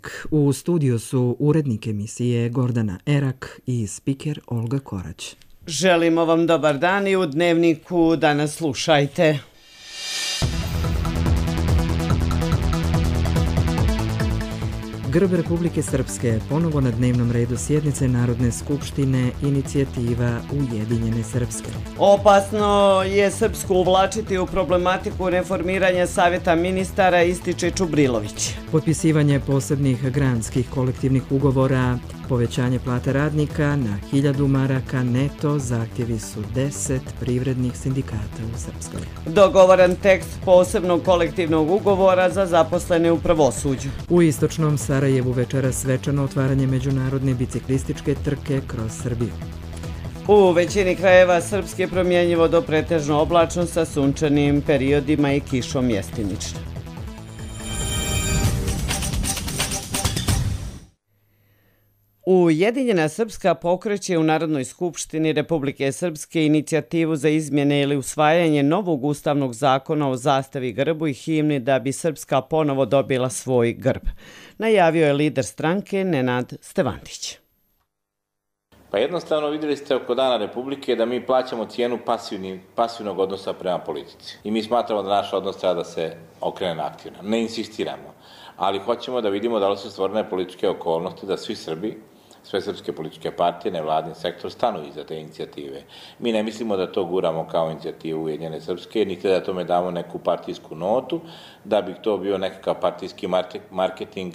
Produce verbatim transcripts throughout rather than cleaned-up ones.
Dnevnik. U studiju su urednik emisije Gordana Erak i spiker Olga Korać. Želimo vam dobar dan i u Dnevniku danas slušajte. Grb Republike Srpske ponovo na dnevnom redu sjednice Narodne skupštine, inicijativa Ujedinjene Srpske. Opasno je Srpsku uvlačiti u problematiku reformiranja Savjeta ministara, ističe Čubrilović. Potpisivanje posebnih granskih kolektivnih ugovora, povećanje plata radnika na hiljadu maraka neto, zahtjevi su deset privrednih sindikata u Srpskoj. Dogovoran tekst posebnog kolektivnog ugovora za zaposlene u pravosuđu. U istočnom Sarajevu večeras svečano otvaranje međunarodne biciklističke trke kroz Srbiju. U većini krajeva Srpske promjenjivo do pretežno oblačno sa sunčanim periodima i kišom mjestimično. Ujedinjena Srpska pokreće u Narodnoj skupštini Republike Srpske inicijativu za izmjene ili usvajanje novog ustavnog zakona o zastavi, grbu i himni da bi Srpska ponovo dobila svoj grb. Najavio je lider stranke Nenad Stevandić. Pa jednostavno vidjeli ste oko Dana Republike da mi plaćamo cijenu pasivni, pasivnog odnosa prema politici. I mi smatramo da naš odnos treba da se okrene na aktivno. Ne insistiramo, ali hoćemo da vidimo da li su stvorene političke okolnosti da svi Srbi, sve srpske političke partije, nevladin sektor stanu iza te inicijative. Mi ne mislimo da to guramo kao inicijativu Ujedinjene Srpske, niti da tome damo neku partijsku notu, da bi to bio nekakav partijski marketing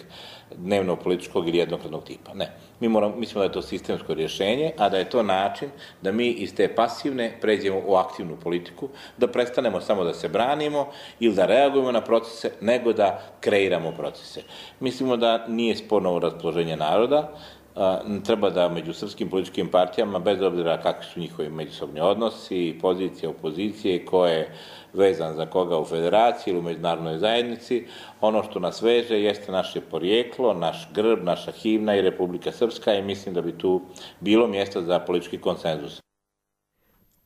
dnevno-političkog ili jednokratnog tipa. Ne. Mi moramo, mislimo da je to sistemsko rješenje, a da je to način da mi iz te pasivne pređemo u aktivnu politiku, da prestanemo samo da se branimo ili da reagujemo na procese, nego da kreiramo procese. Mislimo da nije sporno raspoloženje naroda, treba da među srpskim političkim partijama, bez obzira kakvi su njihovi međusobni odnosi, pozicije, opozicije, ko je vezan za koga u federaciji ili u međunarodnoj zajednici, ono što nas veže jeste naše porijeklo, naš grb, naša himna i Republika Srpska i mislim da bi tu bilo mjesta za politički konsenzus.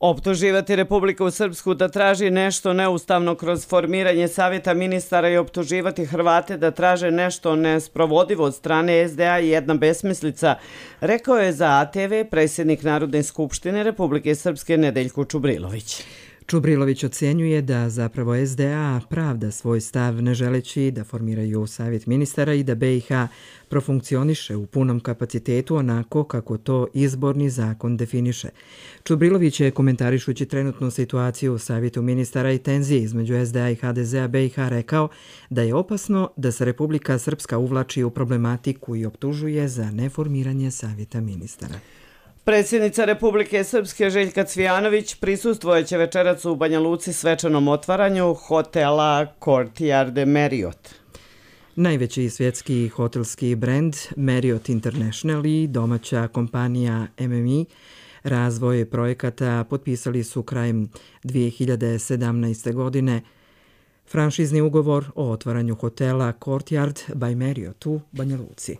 Optuživati Republiku Srpsku da traži nešto neustavno kroz formiranje Savjeta ministara i optuživati Hrvate da traže nešto nesprovodivo od strane es de a i jedna besmislica, rekao je za a te ve predsjednik Narodne skupštine Republike Srpske Nedeljko Čubrilović. Čubrilović ocjenjuje da zapravo es de a pravda svoj stav ne želeći da formiraju Savjet ministara i da be i ha profunkcioniše u punom kapacitetu onako kako to izborni zakon definiše. Čubrilović je, komentarišući trenutnu situaciju u Savjetu ministara i tenzije između es de a i ha de zea be i ha, rekao da je opasno da se Republika Srpska uvlači u problematiku i optužuje za neformiranje Savjeta ministara. Predsjednica Republike Srpske Željka Cvijanović prisustvojeće večerac u Banja Luci svečanom otvaranju hotela Courtyard Marriott. Najveći svjetski hotelski brend Marriott International i domaća kompanija em em i razvoj projekata potpisali su krajem dvije hiljade sedamnaeste. godine franšizni ugovor o otvaranju hotela Courtyard by Marriott u Banja Luci.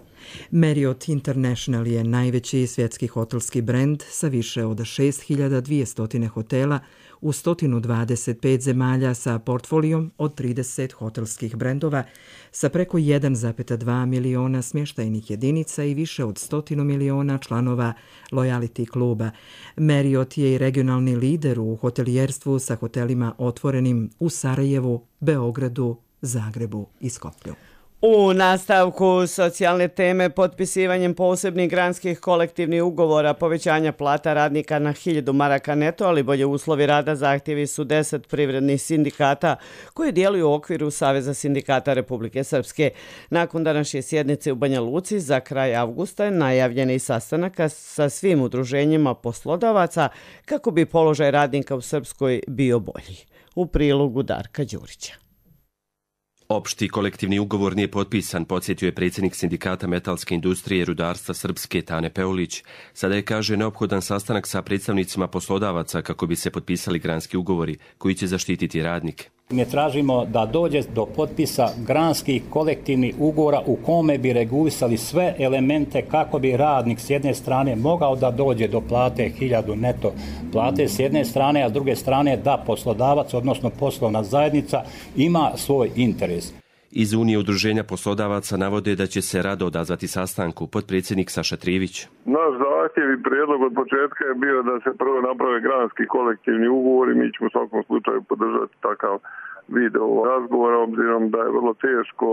Marriott International je najveći svjetski hotelski brend sa više od šest hiljada dvjesto hotela u sto dvadeset pet zemalja sa portfolijom od trideset hotelskih brendova sa preko jedan zarez dva miliona smještajnih jedinica i više od sto miliona članova lojality kluba. Marriott je i regionalni lider u hotelijerstvu sa hotelima otvorenim u Sarajevu, Beogradu, Zagrebu i Skoplju. U nastavku socijalne teme potpisivanjem posebnih granskih kolektivnih ugovora, povećanja plata radnika na hiljadu maraka neto, ali bolje uslovi rada, zahtjevi su deset privrednih sindikata koji djeluju u okviru Saveza sindikata Republike Srpske. Nakon današnje sjednice u Banja Luci za kraj avgusta je najavljen i sastanak sa svim udruženjima poslodavaca kako bi položaj radnika u Srpskoj bio bolji. U prilogu Darka Đurića. Opšti kolektivni ugovor nije potpisan, podsjetio je predsjednik sindikata metalske industrije i rudarstva Srpske Tane Peulić. Sada je, kaže, neophodan sastanak sa predstavnicima poslodavaca kako bi se potpisali granski ugovori koji će zaštititi radnike. Mi tražimo da dođe do potpisa granskih kolektivnih ugovora u kome bi regulisali sve elemente kako bi radnik s jedne strane mogao da dođe do plate hiljadu neto plate s jedne strane, a s druge strane da poslodavac, odnosno poslovna zajednica, ima svoj interes. Iz Unije udruženja poslodavaca navode da će se rado odazvati sastanku. Potpredsjednik Saša Trijević. Naš zahtjev i prijedlog od početka je bio da se prvo naprave granski kolektivni ugovor i mi ćemo u svakom slučaju podržati takav video razgovora, obzirom da je vrlo teško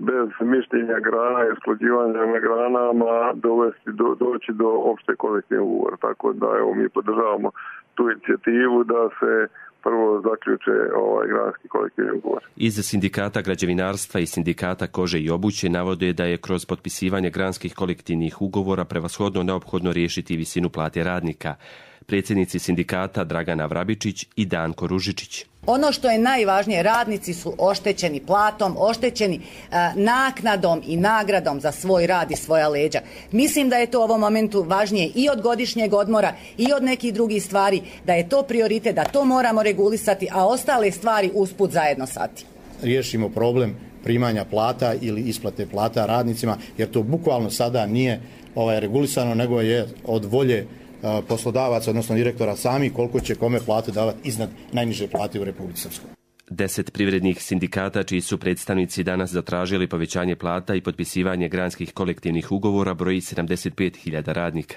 bez mišljenja grana i usklađivanja na granama dovesti do, doći do opšte kolektivnog ugovora. Tako da evo, mi podržavamo tu inicijativu da se prvo zaključe ovaj granski kolektivni ugovor. Iz sindikata građevinarstva i sindikata kože i obuće navode da je kroz potpisivanje granskih kolektivnih ugovora prevashodno neophodno riješiti visinu plate radnika. Predsjednici sindikata Dragana Vrabičić i Danko Ružičić. Ono što je najvažnije, radnici su oštećeni platom, oštećeni e, naknadom i nagradom za svoj rad i svoja leđa. Mislim da je to u ovom momentu važnije i od godišnjeg odmora i od nekih drugih stvari, da je to prioritet, da to moramo regulisati, a ostale stvari usput zajedno sati. Riješimo problem primanja plata ili isplate plata radnicima, jer to bukvalno sada nije ovaj, regulisano, nego je od volje poslodavaca, odnosno direktora sami, koliko će kome platu davati iznad najniže plate u Republici Srpskoj. Deset privrednih sindikata čiji su predstavnici danas zatražili povećanje plata i potpisivanje granskih kolektivnih ugovora broji sedamdeset pet hiljada radnika.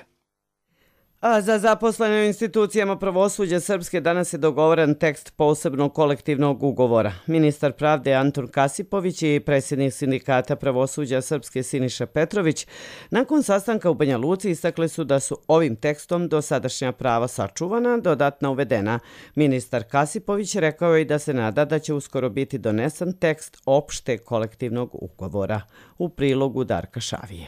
A za zaposlene u institucijama pravosuđa Srpske danas je dogovoren tekst posebnog kolektivnog ugovora. Ministar pravde Antun Kasipović i predsjednik sindikata pravosuđa Srpske Siniša Petrović nakon sastanka u Banja Luci istakli su da su ovim tekstom dosadašnja prava sačuvana, dodatno uvedena. Ministar Kasipović rekao je da se nada da će uskoro biti donesen tekst opšte kolektivnog ugovora. U prilogu Darka Šavije.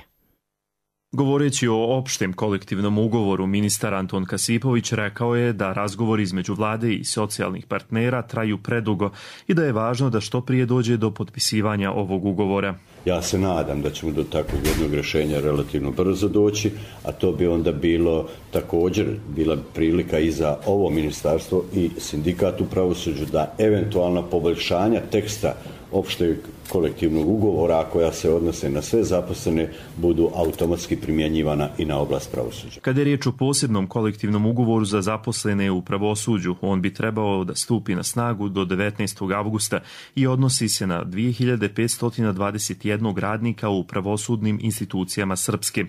Govoreći o opštem kolektivnom ugovoru, ministar Anton Kasipović rekao je da razgovori između vlade i socijalnih partnera traju predugo i da je važno da što prije dođe do potpisivanja ovog ugovora. Ja se nadam da ćemo do takvog jednog rješenja relativno brzo doći, a to bi onda bilo također bila prilika i za ovo ministarstvo i sindikat u pravosuđu da eventualna poboljšanja teksta opšteg kolektivnog ugovora koja se odnose na sve zaposlene budu automatski primjenjivana i na oblast pravosuđa. Kada je riječ o posebnom kolektivnom ugovoru za zaposlene u pravosuđu, on bi trebao da stupi na snagu do devetnaestog avgusta i odnosi se na dvije hiljade petsto dvadeset jedan radnika u pravosudnim institucijama Srpske.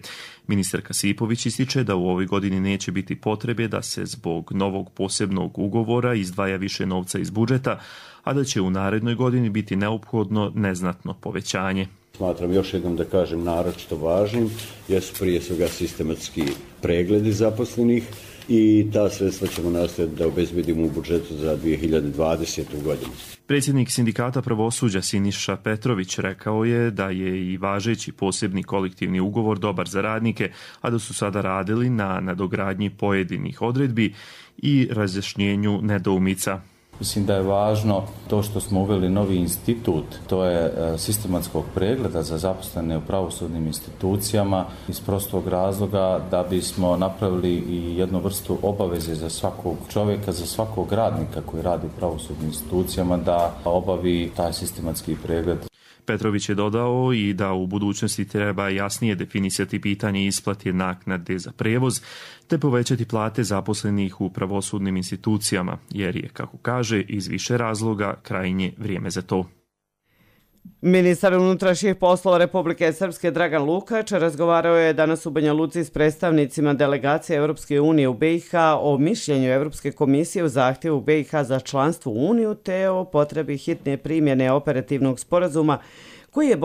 Ministar Kasipović ističe da u ovoj godini neće biti potrebe da se zbog novog posebnog ugovora izdvaja više novca iz budžeta, a da će u narednoj godini biti neophodno neznatno povećanje. Smatram još jednom da kažem naročito važnim, jesu prije svega sistematski pregledi zaposlenih i ta sredstva ćemo nastaviti da obezbedimo u budžetu za dvije hiljade dvadesetu godinu. Predsjednik sindikata pravosuđa Siniša Petrović rekao je da je i važeći posebni kolektivni ugovor dobar za radnike, a da su sada radili na nadogradnji pojedinih odredbi i razjašnjenju nedoumica. Mislim da je važno to što smo uveli novi institut, to je sistematskog pregleda za zaposlene u pravosudnim institucijama iz prostog razloga da bismo napravili i jednu vrstu obaveze za svakog čovjeka, za svakog radnika koji radi u pravosudnim institucijama da obavi taj sistematski pregled. Petrović je dodao i da u budućnosti treba jasnije definisati pitanje isplate naknade za prevoz te povećati plate zaposlenih u pravosudnim institucijama, jer je, kako kaže, iz više razloga krajnje vrijeme za to. Ministar unutrašnjih poslova Republike Srpske Dragan Lukač razgovarao je danas u Banja Luci s predstavnicima delegacije Europske unije u be i ha o mišljenju Europske komisije u zahtjevu be i ha za članstvo u Uniju te o potrebi hitne primjene operativnog sporazuma koji je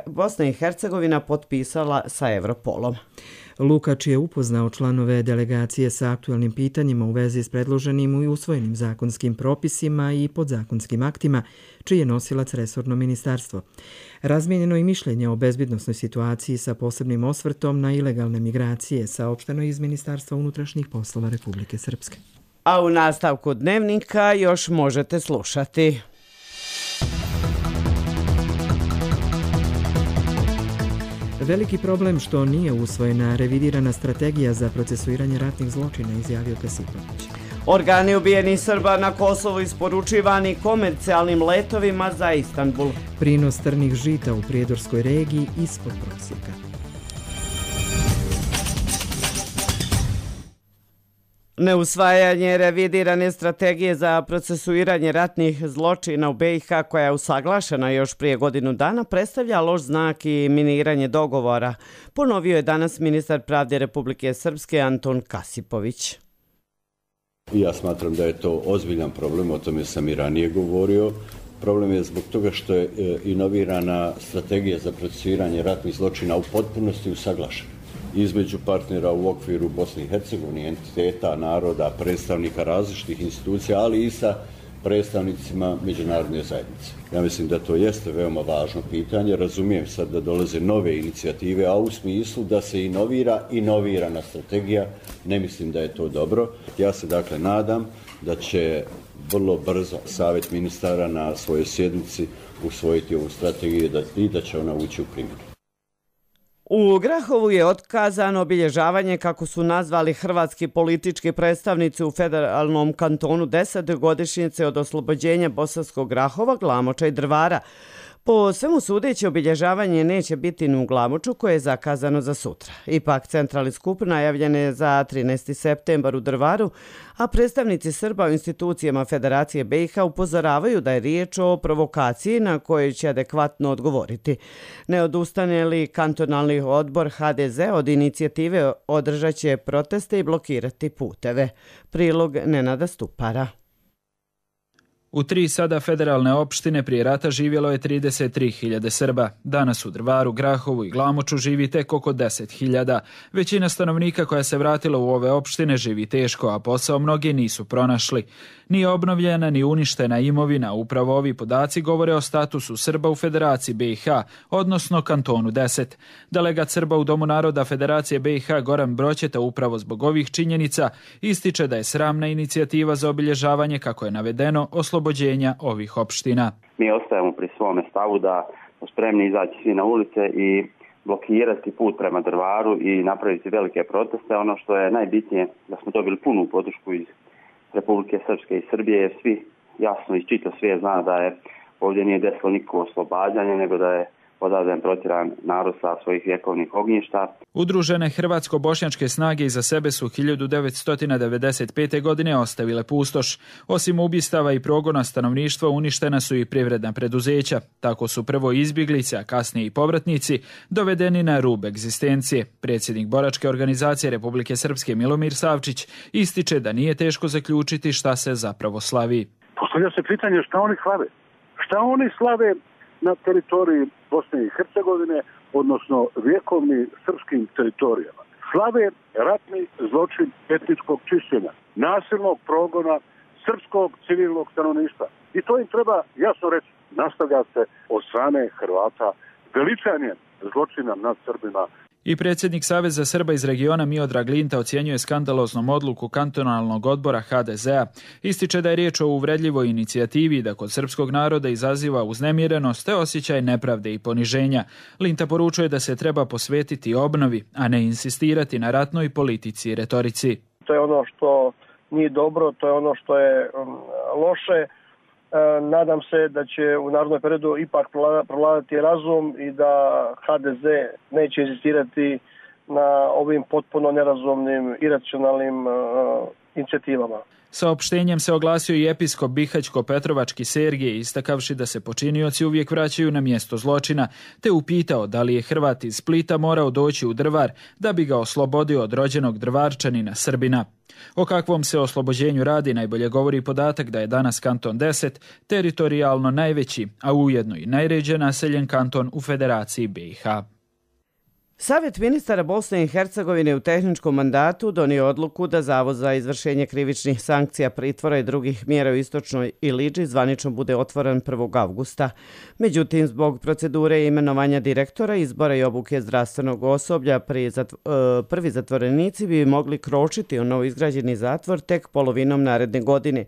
Bosna i Hercegovina potpisala sa Europolom. Lukač je upoznao članove delegacije sa aktualnim pitanjima u vezi s predloženim i usvojenim zakonskim propisima i podzakonskim aktima, čiji je nosilac resorno ministarstvo. Razmijenjeno i mišljenje o bezbjednosnoj situaciji sa posebnim osvrtom na ilegalne migracije, saopšteno iz Ministarstva unutrašnjih poslova Republike Srpske. A u nastavku dnevnika još možete slušati. Veliki problem što nije usvojena revidirana strategija za procesuiranje ratnih zločina, izjavio Kasipović. Organi ubijenih Srba na Kosovu isporučivani komercijalnim letovima za Istanbul. Prinos trnih žita u prijedorskoj regiji ispod prosjeka. Neusvajanje revidirane strategije za procesuiranje ratnih zločina u B i H koja je usaglašena još prije godinu dana predstavlja loš znak i miniranje dogovora, ponovio je danas ministar pravde Republike Srpske Anton Kasipović. Ja smatram da je to ozbiljan problem, o tome sam i ranije govorio. Problem je zbog toga što je inovirana strategija za procesuiranje ratnih zločina u potpunosti usaglašena između partnera u okviru Bosne i Hercegovine, entiteta, naroda, predstavnika različitih institucija, ali i sa predstavnicima međunarodne zajednice. Ja mislim da to jeste veoma važno pitanje. Razumijem sad da dolaze nove inicijative, a u smislu da se inovira inovirana strategija, ne mislim da je to dobro. Ja se dakle nadam da će vrlo brzo Savjet ministara na svojoj sjednici usvojiti ovu strategiju i da će ona ući u primjenu. U Grahovu je otkazano obilježavanje, kako su nazvali hrvatski politički predstavnici u federalnom kantonu, deset godišnjice od oslobođenja Bosanskog Grahova, Glamoča i Drvara. Po svemu sudeći, obilježavanje neće biti ni u Glamoču, koje je zakazano za sutra. Ipak, centralni skup najavljen je za trinaesti septembar u Drvaru, a predstavnici Srba u institucijama Federacije B i H upozoravaju da je riječ o provokaciji na kojoj će adekvatno odgovoriti. Ne odustane li kantonalni odbor H D Z od inicijative, održat će proteste i blokirati puteve. Prilog Nenada Stupara. U tri sada federalne opštine prije rata živjelo je trideset tri hiljade Srba. Danas u Drvaru, Grahovu i Glamoču živi tek oko deset hiljada. Većina stanovnika koja se vratila u ove opštine živi teško, a posao mnogi nisu pronašli. Nije obnovljena ni uništena imovina. Upravo ovi podaci govore o statusu Srba u Federaciji B i H, odnosno kantonu deset. Delegat Srba u Domu naroda Federacije B i H Goran Broćeta upravo zbog ovih činjenica ističe da je sramna inicijativa za obilježavanje, kako je navedeno, oslobođenja ovih opština. Mi ostajemo pri svome stavu da smo spremni izaći svi na ulice i blokirati put prema Drvaru i napraviti velike proteste. Ono što je najbitnije da smo dobili punu podršku iz Republike Srpske i Srbije, jer svi jasno iz čitav svijet zna da je ovdje nije desilo nikakvo oslobađanje, nego da je odavden protjeran narod sa svojih vjekovnih ognjišta. Udružene hrvatsko-bošnjačke snage iza sebe su hiljadu devetsto devedeset pete. godine ostavile pustoš. Osim ubistava i progona stanovništva, uništena su i privredna preduzeća. Tako su prvo izbjeglice, a kasnije i povratnici, dovedeni na rub egzistencije. Predsjednik boračke organizacije Republike Srpske Milomir Savčić ističe da nije teško zaključiti šta se zapravo slavi. Postavlja se pitanje šta oni slave. Šta oni slave na teritoriji Bosne i Hercegovine, odnosno vjekovni srpskim teritorijama. Slave ratni zločin etničkog čišćenja, nasilnog progona srpskog civilnog stanovništva. I to im treba jasno reći. Nastavlja se od strane Hrvata veličanjem zločina nad Srbima. I predsjednik Saveza Srba iz regiona Miodrag Linta ocjenjuje skandaloznom odluku kantonalnog odbora H D Z-a. Ističe da je riječ o uvredljivoj inicijativi da kod srpskog naroda izaziva uznemirenost te osjećaj nepravde i poniženja. Linta poručuje da se treba posvetiti obnovi, a ne insistirati na ratnoj politici i retorici. To je ono što nije dobro, to je ono što je loše. Nadam se da će u narednom periodu ipak prevladati razum i da H D Z neće insistirati na ovim potpuno nerazumnim, iracionalnim uh, inicijativama. Saopštenjem se oglasio i episkop Bihaćko-Petrovački Sergije, istakavši da se počinioci uvijek vraćaju na mjesto zločina, te upitao da li je Hrvat iz Splita morao doći u Drvar da bi ga oslobodio od rođenog Drvarčanina Srbina. O kakvom se oslobođenju radi najbolje govori podatak da je danas kanton deset teritorijalno najveći, a ujedno i najređe naseljen kanton u Federaciji B i H. Savjet ministara Bosne i Hercegovine u tehničkom mandatu donio odluku da Zavod za izvršenje krivičnih sankcija, pritvora i drugih mjera u Istočnoj Iliđi zvanično bude otvoren prvog avgusta. Međutim, zbog procedure imenovanja direktora, izbora i obuke zdravstvenog osoblja, prvi zatvorenici bi mogli kročiti u novoizgrađeni zatvor tek polovinom naredne godine.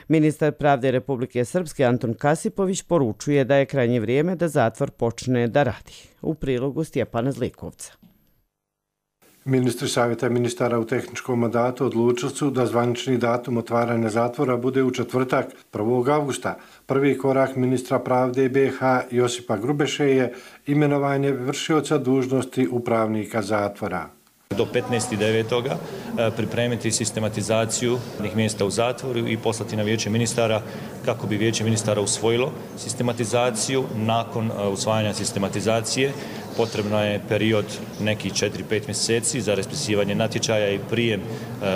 Ministar pravde Republike Srpske Anton Kasipović poručuje da je krajnje vrijeme da zatvor počne da radi. U prilogu Stjepana Zlikovca. Ministri Savjeta ministara u tehničkom mandatu odlučili su da zvanični datum otvaranja zatvora bude u četvrtak prvog avgusta. Prvi korak ministra pravde B i H Josipa Grubeše je imenovanje vršioca dužnosti upravnika zatvora. Do petnaestog devetog pripremiti sistematizaciju mjesta u zatvoru i poslati na vijeće ministara kako bi vijeće ministara usvojilo sistematizaciju. Nakon usvajanja sistematizacije potrebno je period nekih četiri do pet mjeseci za raspisivanje natječaja i prijem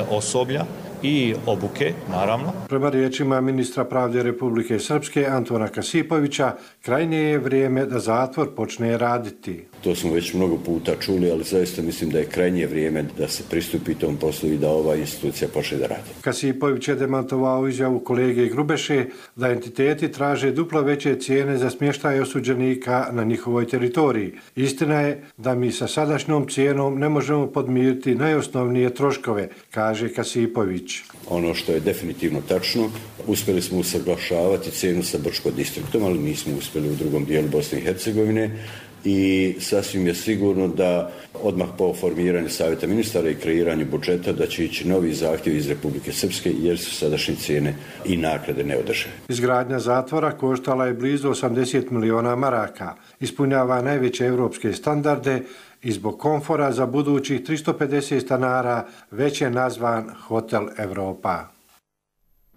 osoblja i obuke, naravno. Prema riječima ministra pravde Republike Srpske Antona Kasipovića, krajnje je vrijeme da zatvor počne raditi. To smo već mnogo puta čuli, ali zaista mislim da je krajnje vrijeme da se pristupi tom poslu i da ova institucija počne da radi. Kasipović je demantovao izjavu kolege Grubeše da entiteti traže duplo veće cijene za smještaj osuđenika na njihovoj teritoriji. Istina je da mi sa sadašnjom cijenom ne možemo podmiriti najosnovnije troškove, kaže Kasipović. Ono što je definitivno tačno, uspjeli smo usaglašavati cijenu sa Brčko distriktom, ali nismo uspjeli u drugom dijelu Bosne i Hercegovine i sasvim je sigurno da odmah po formiranju savjeta ministara i kreiranju budžeta da će ići novi zahtjev iz Republike Srpske jer su sadašnje cijene i naknade neodržive. Izgradnja zatvora koštala je blizu osamdeset miliona maraka, ispunjava najveće evropske standarde i zbog komfora za budućih tristo pedeset stanara već je nazvan Hotel Evropa.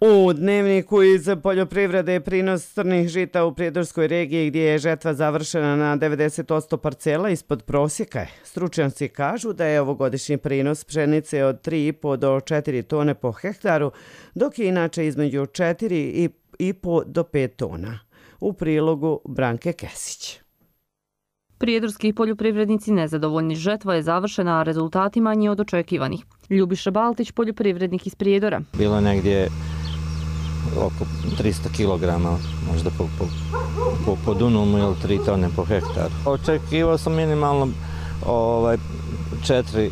U dnevniku iz poljoprivrede je prinos crnih žita u Prijedorskoj regiji gdje je žetva završena na devedeset posto parcela ispod prosjeka. Stručnjaci kažu da je ovogodišnji prinos pšenice od tri i po do četiri tone po hektaru, dok je inače između četiri i po do pet tona. U prilogu Branke Kesić. Prijedorski poljoprivrednici nezadovoljni, žetva je završena, a rezultati manji od očekivanih. Ljubiša Baltić, poljoprivrednik iz Prijedora. Bilo je negdje oko tristo kilograma, možda po, po, po, po dunumu ili tri tone po hektaru. Očekivao sam minimalno ovaj, četiri,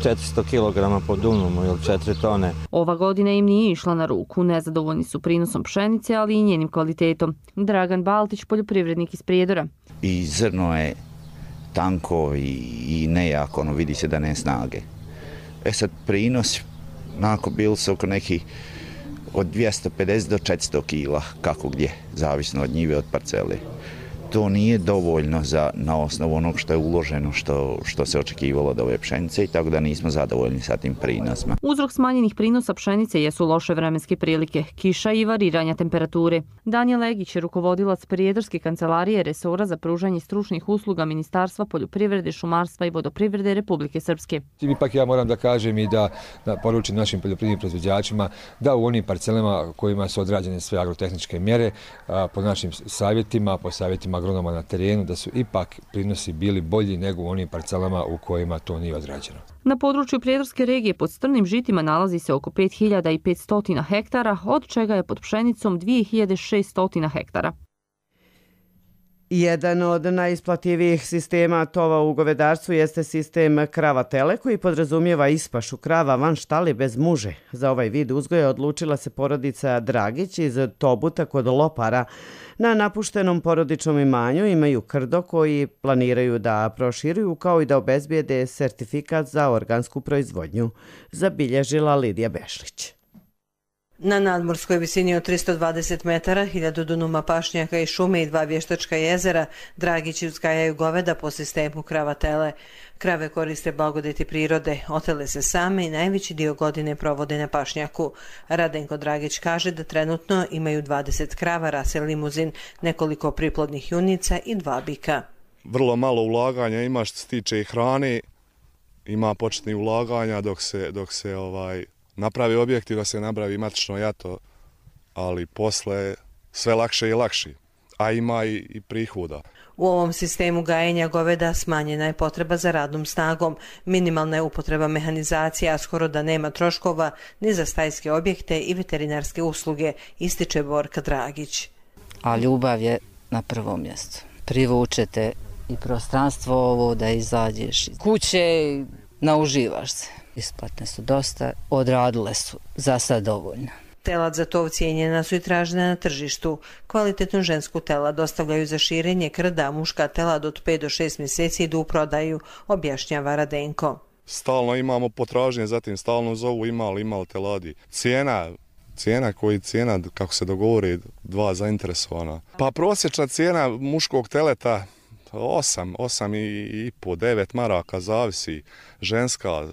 četiristo kilograma po dunumu ili četiri tone. Ova godina im nije išla na ruku. Nezadovoljni su prinosom pšenice, ali i njenim kvalitetom. Dragan Baltić, poljoprivrednik iz Prijedora. I zrno je tanko i, i nejako, ono vidi se da ne snage. E sad prinos, onako bili su oko nekih od dvjesto pedeset do četiristo kila, kako gdje, zavisno od njive, od parcele. To nije dovoljno za, na osnovu onog što je uloženo, što, što se očekivalo od ove pšenice i tako da nismo zadovoljni sa tim prinosima. Uzrok smanjenih prinosa pšenice jesu loše vremenske prilike, kiša i variranja temperature. Danijel Egić je rukovodilac Prijedorske kancelarije resora za pružanje stručnih usluga Ministarstva poljoprivrede, šumarstva i vodoprivrede Republike Srpske. Ipak ja moram da kažem i da, da poručim našim poljoprivrednim proizvođačima da u onim parcelama kojima su odrađene sve agrotehničke mjere, a, po našim savjetima, po savjetima agronoma na terenu, da su ipak prinosi bili bolji nego u onim parcelama u kojima to nije odrađeno. Na području Prijedorske regije pod strnim žitima nalazi se oko pet hiljada petsto hektara, od čega je pod pšenicom dvije hiljade šesto hektara. Jedan od najisplativijih sistema tova u govedarstvu jeste sistem krava-tele koji podrazumijeva ispašu krava van štali bez muže. Za ovaj vid uzgoja odlučila se porodica Dragić iz Tobuta kod Lopara. Na napuštenom porodičnom imanju imaju krdo koji planiraju da proširuju kao i da obezbijede sertifikat za organsku proizvodnju, zabilježila Lidija Bešlić. Na nadmorskoj visini od tristo dvadeset metara, hiljadu dunuma pašnjaka i šume i dva vještačka jezera, Dragići uzgajaju goveda po sistemu krava-tele. Krave koriste blagodeti prirode, otele se same i najveći dio godine provode na pašnjaku. Radenko Dragić kaže da trenutno imaju dvadeset krava, rase limuzin, nekoliko priplodnih junica i dva bika. Vrlo malo ulaganja ima što se tiče hrane, ima početnih ulaganja dok se, dok se ovaj... napravi objektiv da se napravi matično jato, ali posle sve lakše i lakše, a ima i, i prihoda. U ovom sistemu gajenja goveda smanjena je potreba za radnom snagom, minimalna je upotreba mehanizacije, a skoro da nema troškova ni za stajske objekte i veterinarske usluge, ističe Borka Dragić. A ljubav je na prvom mjestu. Privučete i prostranstvo ovo da izađeš iz kuće, nauživaš se. Isplatne su dosta, odradile su za sad dovoljno. Telad za tov cijenjena su i tražena na tržištu. Kvalitetnu žensku telad dostavljaju za širenje krda, muška telad od pet do šest mjeseci idu u prodaju, objašnjava Radenko. Stalno imamo potražnje, zatim stalno zovu imali, imali teladi. Cijena, cijena koji cijena, kako se dogovori, dva zainteresovana. Pa prosječna cijena muškog teleta osam, osam i, i po, devet maraka, zavisi, ženska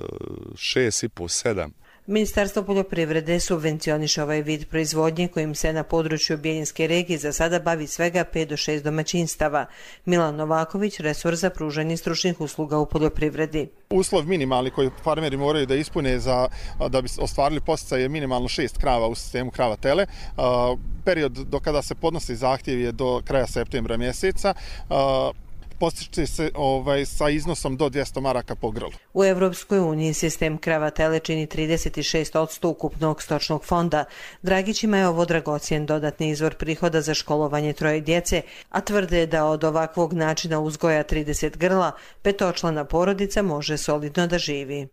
šest i po, sedam. Ministarstvo poljoprivrede subvencioniše ovaj vid proizvodnje kojim se na području Bijeljinske regije za sada bavi svega pet do šest domaćinstava. Milan Novaković, resor za pružanje stručnih usluga u poljoprivredi. Uslov minimalni koji farmeri moraju da ispune za, da bi ostvarili podsticaje je minimalno šest krava u sistemu krava tele. Period do kada se podnosi zahtjev je do kraja septembra mjeseca. Postiče se ovaj, sa iznosom do dvjesto maraka po grlu. U Evropskoj uniji sistem krava tele čini trideset šest posto ukupnog stočnog fonda. Dragićima je ovo dragocjen dodatni izvor prihoda za školovanje troje djece, a tvrde da od ovakvog načina uzgoja trideset grla petočlana porodica može solidno da živi.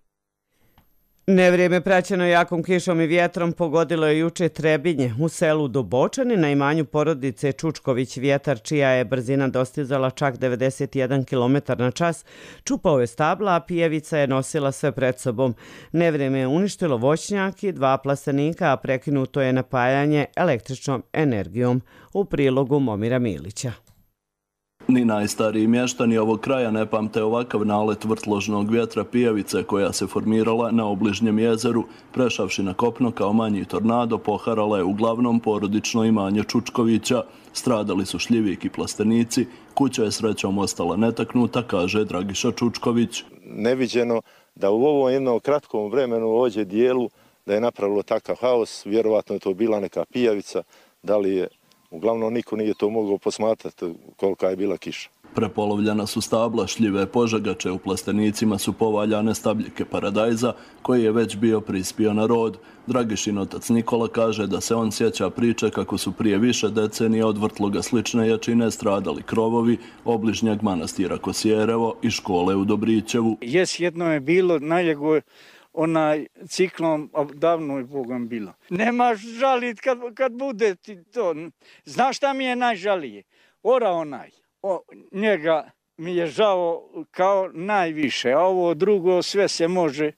Nevrijeme praćeno jakom kišom i vjetrom pogodilo je juče Trebinje u selu Dubočani na imanju porodice Čučković. Vjetar, čija je brzina dostizala čak devedeset jedan kilometar na čas, čupao je stabla, a pijevica je nosila sve pred sobom. Nevrijeme je uništilo voćnjak i dva plastenika, a prekinuto je napajanje električnom energijom. U prilogu Momira Milića. Ni najstariji mještani ovog kraja ne pamte ovakav nalet vrtložnog vjetra pijevice koja se formirala na obližnjem jezeru, prešavši na kopno kao manji tornado, poharala je uglavnom porodično imanje Čučkovića. Stradali su šljivik i plastenici, kuća je srećom ostala netaknuta, kaže Dragiša Čučković. Neviđeno da u ovom jednom kratkom vremenu u ođe dijelu da je napravilo takav haos, vjerovatno je to bila neka pijavica, da li je uglavnom niko nije to mogao posmatrati kolika je bila kiša. Prepolovljena su stabla, šljive požagače, u plastenicima su povaljane stabljike paradajza koji je već bio prispio na rod. Dragišin otac Nikola kaže da se on sjeća priče kako su prije više decenija od vrtloga slične jačine stradali krovovi obližnjeg manastira Kosjerevo i škole u Dobrićevu. Jes, jedno je bilo najljego onaj ciklon, davno je Bogom bilo. Nemaš žalit kad, kad bude ti to. Znaš šta mi je najžalije? Ora onaj. O, njega mi je žao kao najviše, a ovo drugo sve se može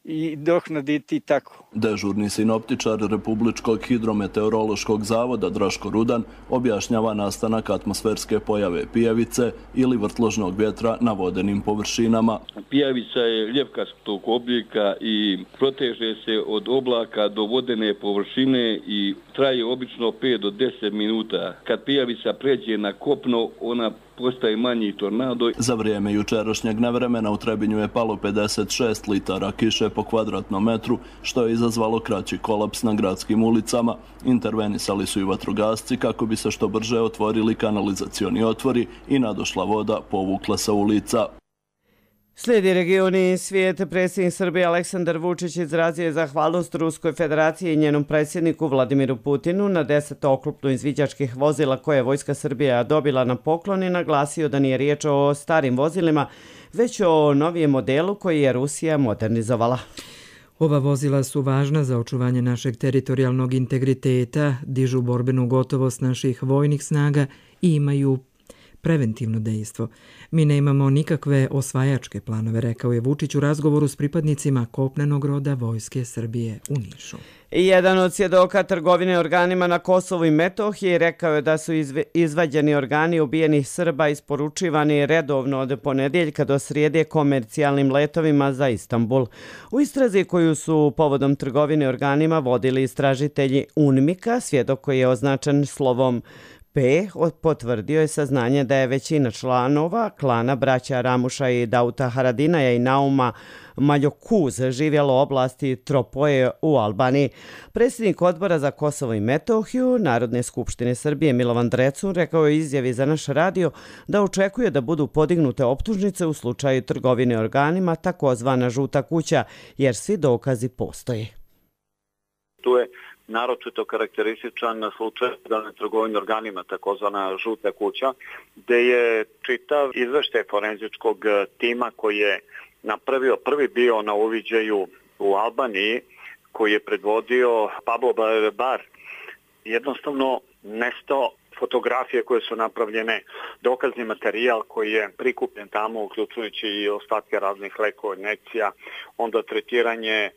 i dohnaditi tako. Dežurni sinoptičar Republičkog hidrometeorološkog zavoda Draško Rudan objašnjava nastanak atmosferske pojave pijavice ili vrtložnog vjetra na vodenim površinama. Pijavica je ljepkastog oblika i proteže se od oblaka do vodene površine i traje obično pet do deset minuta. Kad pijavica pređe na kopno, ona postaje manji tornado. Za vrijeme jučerašnjeg nevremena u Trebinju je palo pedeset šest litara kiše po kvadratnom metru, što je izazvalo kraći kolaps na gradskim ulicama. Intervenisali su i vatrogasci kako bi se što brže otvorili kanalizacioni otvori i nadošla voda povukla sa ulica. Slijedi regioni svijet. Predsjednik Srbije Aleksandar Vučić izrazio je zahvalnost Ruskoj federaciji i njenom predsjedniku Vladimiru Putinu na deset oklopno izviđačkih vozila koje je Vojska Srbija dobila na poklon i naglasio da nije riječ o starim vozilima, već o novijem modelu koji je Rusija modernizovala. Ova vozila su važna za očuvanje našeg teritorijalnog integriteta, dižu borbenu gotovost naših vojnih snaga i imaju preventivno dejstvo. Mi ne imamo nikakve osvajačke planove, rekao je Vučić u razgovoru s pripadnicima kopnenog roda Vojske Srbije u Nišu. Jedan od svjedoka trgovine organima na Kosovu i Metohiji rekao je da su izvađeni organi ubijenih Srba isporučivani redovno od ponedjeljka do srijede komercijalnim letovima za Istanbul. U istrazi koju su povodom trgovine organima vodili istražitelji UNMIK-a, svjedok koji je označen slovom P potvrdio je saznanje da je većina članova klana braća Ramuša i Dauta Haradinaja i Nauma Maljokuz živjelo u oblasti Tropoje u Albaniji. Predsjednik odbora za Kosovo i Metohiju Narodne skupštine Srbije Milovan Drecun rekao je izjavi za naš radio da očekuje da budu podignute optužnice u slučaju trgovine organima, takozvana žuta kuća, jer svi dokazi postoje. Tu je naročito karakterističan slučaj daljne trgovine organima, takozvana žuta kuća, gde je čitav izveštaj forenzičkog tima koji je napravio prvi bio na uviđaju u Albaniji, koji je predvodio Pablo Bar, jednostavno nestao fotografije koje su napravljene, dokazni materijal koji je prikupljen tamo, uključujući i ostatke raznih lekova, injekcija, onda tretiranje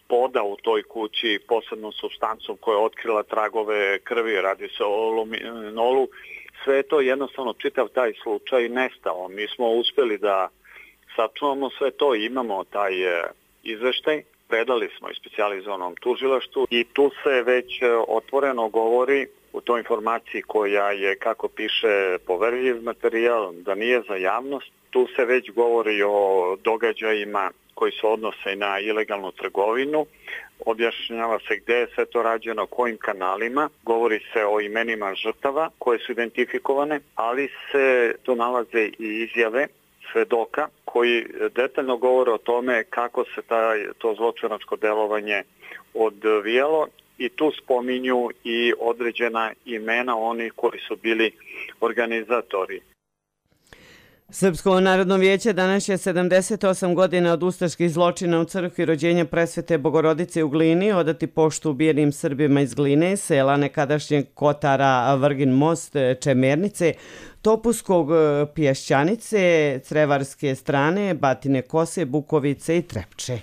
poda u toj kući posebnom supstancom koja je otkrila tragove krvi, radi se o luminolu, sve je to jednostavno čitav taj slučaj nestao. Mi smo uspjeli da sačuvamo sve to i imamo taj izveštaj. Predali smo i specijalizovanom tužilaštvu i tu se već otvoreno govori u toj informaciji koja je, kako piše, poverljiv materijal, da nije za javnost. Tu se već govori o događajima koji se odnose na ilegalnu trgovinu. Objašnjava se gde je sve to rađeno, kojim kanalima. Govori se o imenima žrtava koje su identifikovane, ali se tu nalaze i izjave svedoka koji detaljno govore o tome kako se taj, to zločinačko delovanje odvijalo i tu spominju i određena imena onih koji su bili organizatori. Srpsko narodno vijeće danas je sedamdeset osam godina od ustaških zločina u crkvi rođenja Presvete Bogorodice u Glini odati poštu ubijenim Srbima iz Gline, sela nekadašnjeg Kotara, Vrgin most, Čemernice, Topuskog, Pješćanice, Crevarske strane, Batine Kose, Bukovice i Trepče.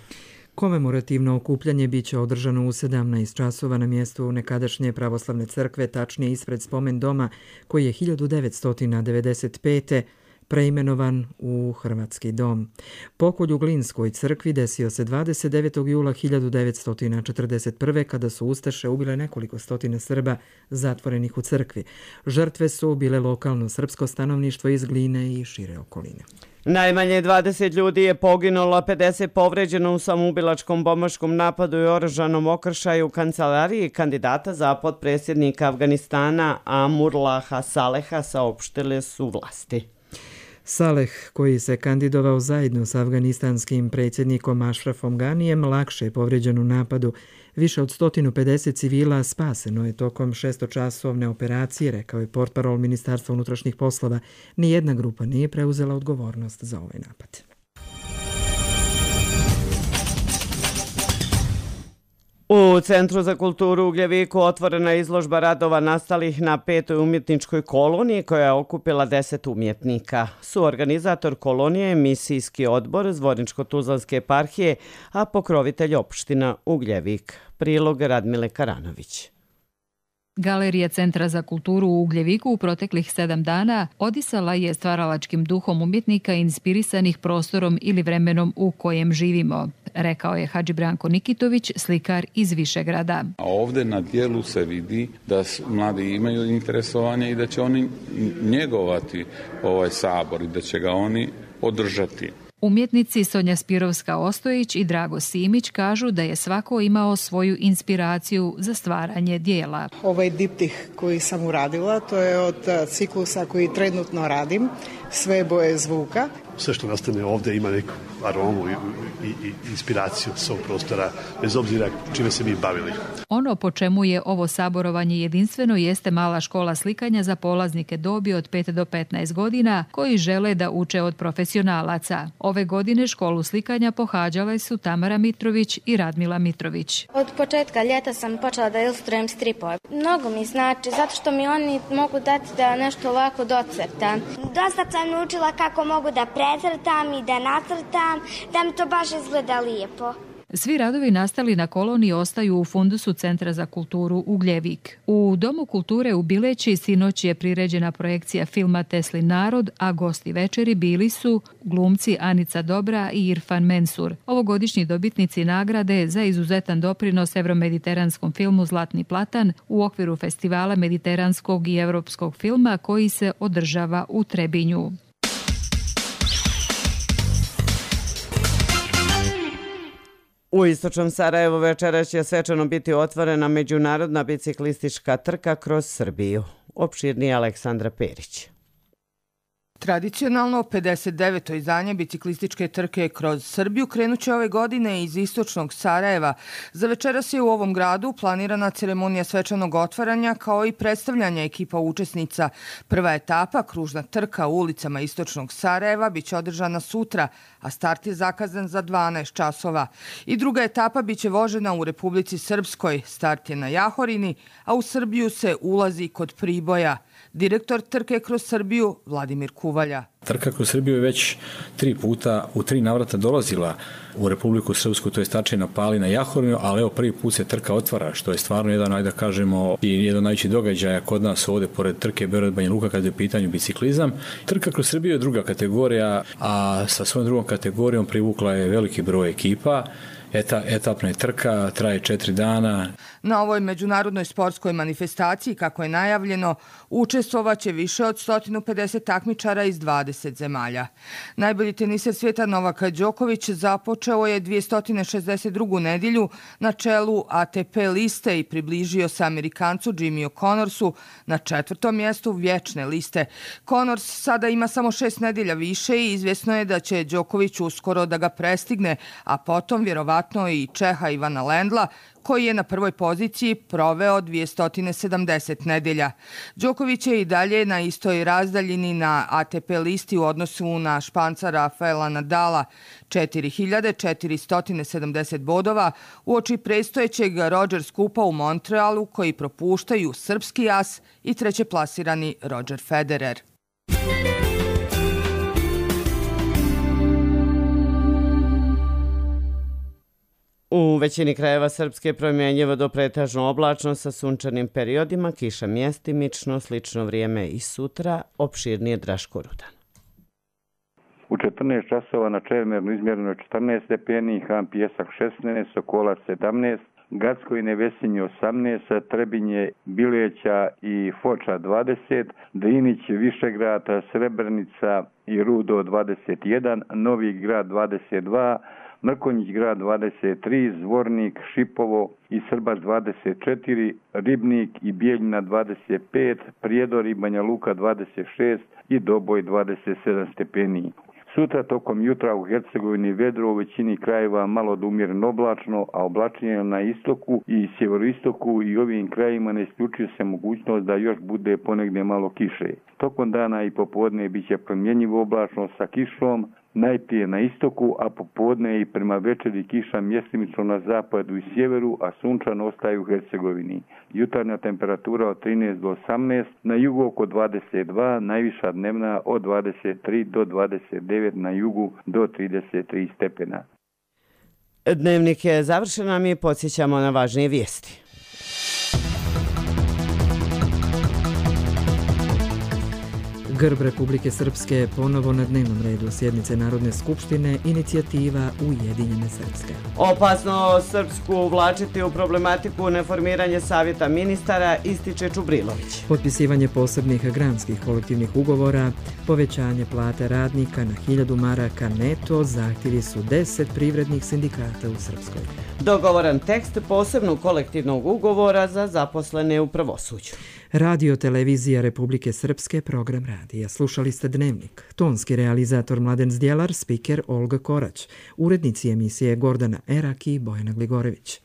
Komemorativno okupljanje biće održano u sedamnaest časova na mjestu nekadašnje pravoslavne crkve, tačnije ispred spomen doma koji je hiljadu devetsto devedeset pete preimenovan u Hrvatski dom. Pokolj u Glinskoj crkvi desio se dvadeset devetog jula hiljadu devetsto četrdeset prve. kada su ustaše ubile nekoliko stotina Srba zatvorenih u crkvi. Žrtve su bile lokalno srpsko stanovništvo iz Gline i šire okoline. Najmanje dvadeset ljudi je poginulo, a pedeset povređeno u samoubilačkom bombaškom napadu i oružanom okršaju u kancelariji kandidata za potpredsjednika Afganistana Amurlaha Saleha, saopštile su vlasti. Saleh, koji se kandidovao zajedno s afganistanskim predsjednikom Ašrafom Ganijem, lakše je povređen u napadu. Više od sto pedeset civila spaseno je tokom šestočasovne operacije, rekao je portparol Ministarstva unutrašnjih poslova. Nijedna grupa nije preuzela odgovornost za ovaj napad. U Centru za kulturu u Ugljeviku otvorena je izložba radova nastalih na petoj umjetničkoj koloniji koja je okupila deset umjetnika. Suorganizator kolonije je misijski odbor Zvorničko-Tuzlanske eparhije, a pokrovitelj opština Ugljevik. Prilog Radmile Karanović. Galerija Centra za kulturu u Ugljeviku u proteklih sedam dana odisala je stvaralačkim duhom umjetnika inspirisanih prostorom ili vremenom u kojem živimo, rekao je Hadži Branko Nikitović, slikar iz Višegrada. A ovdje na dijelu se vidi da mladi imaju interesovanje i da će oni njegovati ovaj sabor i da će ga oni održati. Umjetnici Sonja Spirovska-Ostojić i Drago Simić kažu da je svako imao svoju inspiraciju za stvaranje dijela. Ovaj diptih koji sam uradila, to je od ciklusa koji trenutno radim, sve boje zvuka. Sve što nastane ovdje ima neku aromu i, i, i inspiraciju svog prostora, bez obzira čime se mi bavili. Ono po čemu je ovo saborovanje jedinstveno jeste mala škola slikanja za polaznike dobi od pet do petnaest godina koji žele da uče od profesionalaca. Ove godine školu slikanja pohađale su Tamara Mitrović i Radmila Mitrović. Od početka ljeta sam počela da ilustrujem stripove. Mnogo mi znači, zato što mi oni mogu dati da nešto ovako docrtam. Dosta sam naučila kako mogu da precrtam i da nacrtam, da mi to baš izgleda lijepo. Svi radovi nastali na koloniji ostaju u fundusu Centra za kulturu Ugljevik. U Domu kulture u Bileći sinoć je priređena projekcija filma Teslin narod, a gosti večeri bili su glumci Anica Dobra i Irfan Mensur, ovogodišnji dobitnici nagrade za izuzetan doprinos evromediteranskom filmu Zlatni platan u okviru festivala mediteranskog i evropskog filma koji se održava u Trebinju. U istočnom Sarajevu večeras će svečano biti otvorena međunarodna biciklistička trka kroz Srbiju. Opširnije Aleksandra Perić. Tradicionalno pedeset deveto izdanje biciklističke trke kroz Srbiju krenuće ove godine iz istočnog Sarajeva. Za večeras je u ovom gradu planirana ceremonija svečanog otvaranja kao i predstavljanja ekipa učesnica. Prva etapa, kružna trka u ulicama istočnog Sarajeva, biće održana sutra, a start je zakazan za dvanaest časova. I druga etapa biće vožena u Republici Srpskoj. Start je na Jahorini, a u Srbiju se ulazi kod Priboja. Direktor trke kroz Srbiju Vladimir Kuva. Uvalja. Trka kroz Srbiju je već tri puta u tri navrata dolazila u Republiku Srpsku, to je Stačina, Palina, Jahormio, ali evo prvi put se trka otvara, što je stvarno jedan, ajde da kažemo, i jedan najveći događaja kod nas ovdje, pored trke Beograd Banja Luka, kada je u pitanju biciklizam. Trka kroz Srbiju je druga kategorija, a sa svojom drugom kategorijom privukla je veliki broj ekipa. Eta, etapna je trka, traje četiri dana. Na ovoj međunarodnoj sportskoj manifestaciji, kako je najavljeno, učestvovaće više od sto pedeset takmičara iz dvadeset zemalja. Najbolji teniser svijeta Novak Đoković započeo je dvjesto šezdeset drugu nedjelju na čelu A T P liste i približio se Amerikancu Jimmyu Connorsu na četvrtom mjestu vječne liste. Connors sada ima samo šest nedjelja više i izvjesno je da će Đoković uskoro da ga prestigne, a potom vjerovatno i Čeha Ivana Lendla, koji je na prvoj poziciji proveo dvjesto sedamdeset nedelja. Đoković je i dalje na istoj razdaljini na A T P listi u odnosu na Španca Rafaela Nadala, četiri hiljade četiristo sedamdeset bodova, uoči predstojećeg Roger Skupa u Montrealu, koji propuštaju srpski as i trećeplasirani Roger Federer. U većini krajeva Srpske promjenjivo do pretežno oblačno sa sunčanim periodima, kiša mjestimično, slično vrijeme i sutra, opširnije Draško Rudan. U četrnaest časova na Čemernu izmjereno je četrnaest stepeni, Han Pijesak šesnaest, Sokolac sedamnaest, Gacko i Nevesinje osamnaest, Trebinje, Bileća i Foča dvadeset, Drinić, Višegrad, Srebrenica i Rudo dvadeset jedan, Novi Grad dvadeset dva, Mrkonjić grad dvadeset tri, Zvornik, Šipovo i Srbac dvadeset četiri, Ribnik i Bijeljina dvadeset pet, Prijedor i Banja Luka dvadeset šest i Doboj dvadeset sedam stepeni. Sutra tokom jutra u Hercegovini vedro, u većini krajeva malo do umjereno oblačno, a oblačenje na istoku i sjeveroistoku i ovim krajevima ne isključuje se mogućnost da još bude ponegdje malo kiše. Tokom dana i popodne bit će promjenjivo oblačno sa kišom, najprije na istoku, a popodne i prema večeri kiša mjestimično na zapadu i sjeveru, a sunčano ostaje u Hercegovini. Jutarnja temperatura od trinaest do osamnaest, na jugu oko dvadeset dva, najviša dnevna od dvadeset tri do dvadeset devet, na jugu do trideset tri stepena. Dnevnik je završen, a mi podsjećamo na važnije vijesti. Grb Republike Srpske je ponovo na dnevnom redu sjednice Narodne skupštine, inicijativa Ujedinjene Srpske. Opasno Srpsku uvlačiti u problematiku neformiranje savjeta ministara, ističe Čubrilović. Potpisivanje posebnih granskih kolektivnih ugovora, povećanje plate radnika na hiljadu maraka neto, zahtjevi su deset privrednih sindikata u Srpskoj. Dogovoran tekst posebnog kolektivnog ugovora za zaposlene u pravosuđu. Radio Televizija Republike Srpske, program radija. Slušali ste Dnevnik. Tonski realizator Mladen Zdjelar, spiker Olga Korać, urednici emisije Gordana Erak i Bojana Gligorević.